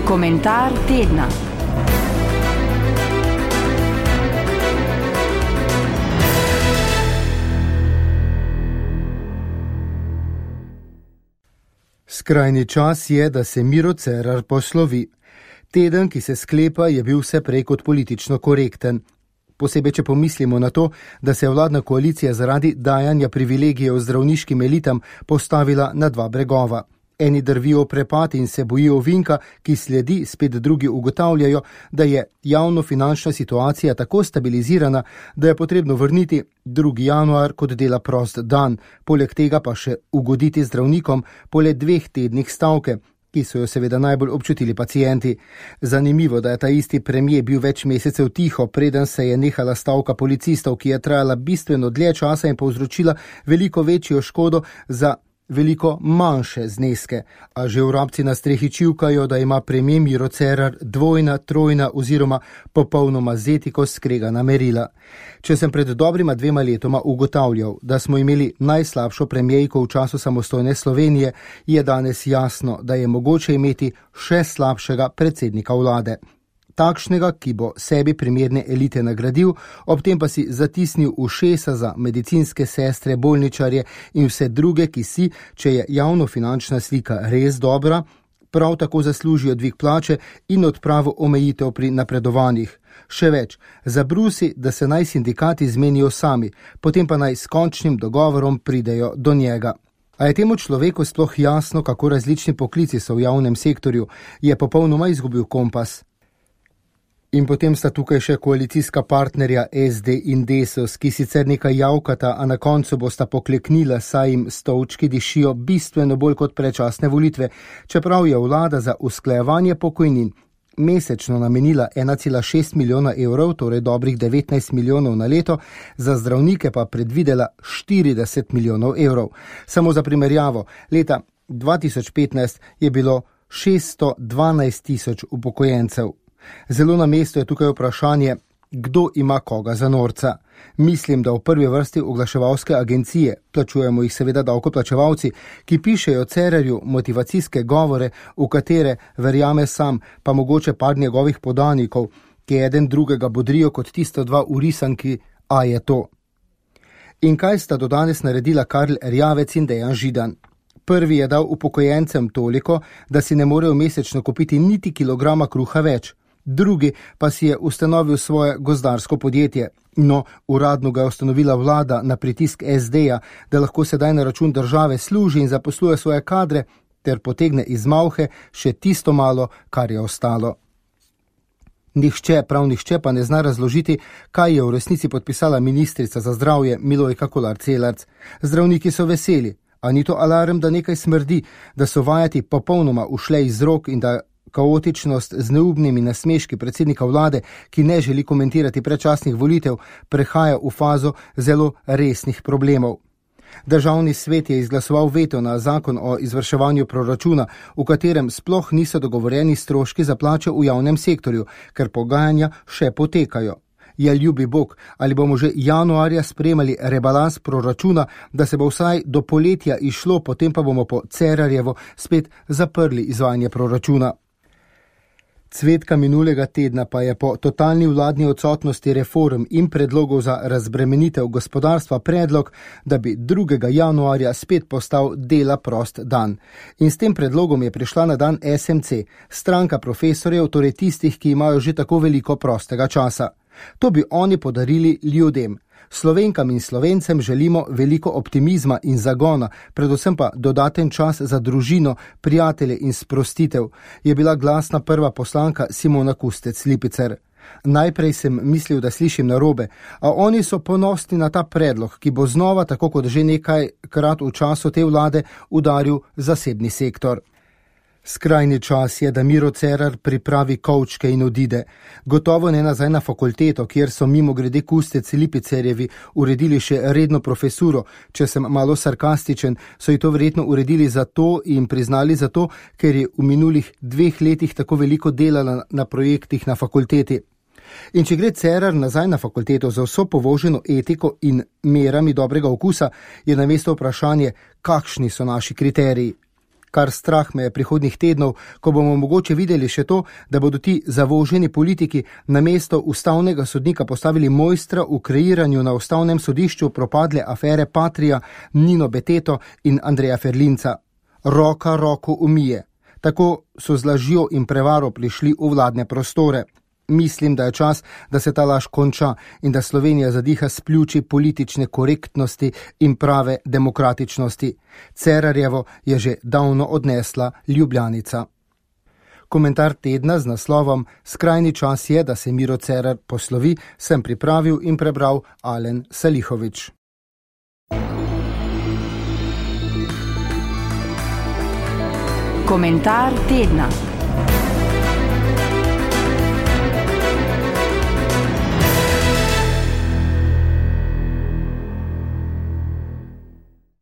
Komentar tedna. Skrajni čas je, da se Miro Cerar poslovi. Teden, ki se sklepa, je bil vse prej kot politično korekten. Posebej, če pomislimo na to, da se je vladna koalicija zaradi dajanja privilegijev zdravniškim elitam postavila na dva bregova. Eni drvijo prepad in se bojijo ovinka, ki sledi, spet drugi ugotavljajo, da je javnofinančna situacija tako stabilizirana, da je potrebno vrniti 2. januar kot dela prost dan, poleg tega pa še ugoditi zdravnikom po le 2 tednih stavke, ki so jo seveda najbolj občutili pacienti. Zanimivo, da je ta isti premier bil več mesecev tiho, preden se je nehala stavka policistov, ki je trajala bistveno dlje časa in povzročila veliko večjo škodo za veliko manjše zneske. A že vrabci na strehi čivkajo, da ima premier Miro Cerar dvojna, trojna oziroma popolnoma z etiko skregana merila. Če sem pred dobrima 2 letoma ugotavljal, da smo imeli najslabšo premierko v času samostojne Slovenije, je danes jasno, da je mogoče imeti še slabšega predsednika vlade. Takšnega, ki bo sebi primerne elite nagradil, ob tem pa si zatisnil ušesa za medicinske sestre, bolničarje in vse druge, ki si, če je javnofinančna slika res dobra, prav tako zaslužijo dvig plače in odpravo omejitev pri napredovanjih. Še več, zabrusi, da se naj sindikati zmenijo sami, potem pa naj s končnim dogovorom pridejo do njega. A je temu človeku sploh jasno, kako različni poklici so v javnem sektorju, je popolnoma izgubil kompas. In potem sta tukaj še koalicijska partnerja SD in Desus, ki sicer nekaj javkata, a na koncu bosta pokleknila, saj jim stolčki dišijo bistveno bolj kot predčasne volitve, čeprav je vlada za usklajevanje pokojnin mesečno namenila 1,6 milijona evrov, torej dobrih 19 milijonov na leto, za zdravnike pa predvidela 40 milijonov evrov. Samo za primerjavo, leta 2015 je bilo 612 tisoč upokojencev. Zelo na mestu je tukaj vprašanje, kdo ima koga za norca. Mislim, da v prvi vrsti oglaševalske agencije, plačujemo jih seveda davkoplačevalci, ki pišejo Cerarju motivacijske govore, v katere verjame sam, pa mogoče par njegovih podanikov, ki eden drugega bodrijo kot tisto 2 v risanki, a je to. In kaj sta do danes naredila Karl Erjavec in Dejan Židan? Prvi je dal upokojencem toliko, da si ne morejo mesečno kupiti niti kilograma kruha več. Drugi pa si je ustanovil svoje gozdarsko podjetje. No, uradno ga je ustanovila vlada na pritisk SD-ja, da lahko sedaj na račun države služi in zaposluje svoje kadre, ter potegne iz malhe še tisto malo, kar je ostalo. Prav nihče pa ne zna razložiti, kaj je v resnici podpisala ministrica za zdravje Milojka Kolar Celarc. Zdravniki so veseli, a ni to alarm, da nekaj smrdi, da so vajati popolnoma ušle iz rok in da kaotičnost z neubnimi nasmeški predsednika vlade, ki ne želi komentirati predčasnih volitev, prehaja v fazo zelo resnih problemov. Državni svet je izglasoval veto na zakon o izvrševanju proračuna, v katerem sploh niso dogovorjeni stroški za plače v javnem sektorju, ker pogajanja še potekajo. Ja, ljubi Bog, ali bomo že januarja sprejemali rebalans proračuna, da se bo vsaj do poletja išlo, potem pa bomo po Cerarjevo spet zaprli izvajanje proračuna. Cvetka minulega tedna pa je po totalni vladni odsotnosti reform in predlogov za razbremenitev gospodarstva predlog, da bi 2. januarja spet postal dela prost dan. In s tem predlogom je prišla na dan SMC, stranka profesorjev, torej tistih, ki imajo že tako veliko prostega časa. To bi oni podarili ljudem. Slovenkam in Slovencem želimo veliko optimizma in zagona, predvsem pa dodaten čas za družino, prijatelje in sprostitev, je bila glasna prva poslanka Simona Kustec Lipicer. Najprej sem mislil, da slišim narobe, a oni so ponosni na ta predlog, ki bo znova, tako kot že nekajkrat v času te vlade, udaril zasebni sektor. Skrajni čas je, da Miro Cerar pripravi kovčke in odide. Gotovo ne nazaj na fakulteto, kjer so mimogrede Kustec Lipicerjevi uredili še redno profesuro. Če sem malo sarkastičen, so ji to verjetno uredili zato in priznali zato, ker je v minulih 2 letih tako veliko delala na projektih na fakulteti. In če gre Cerar nazaj na fakulteto za vso povoženo etiko in merami dobrega okusa, je na mesto vprašanje, kakšni so naši kriteriji. Kar strah me je prihodnjih tednov, ko bomo mogoče videli še to, da bodo ti zavoženi politiki na mesto ustavnega sodnika postavili mojstra v kreiranju na ustavnem sodišču propadle afere Patria, Nino Beteto in Andreja Ferlinca. Roka roko umije. Tako so z lažjo in prevaro prišli v vladne prostore. Mislim, da je čas, da se ta laž konča in da Slovenija zadiha s pljuči politične korektnosti in prave demokratičnosti. Cerarjevo je že davno odnesla Ljubljanica. Komentar tedna z naslovom Skrajni čas je, da se Miro Cerar poslovi, sem pripravil in prebral Alen Salihovič. Komentar tedna.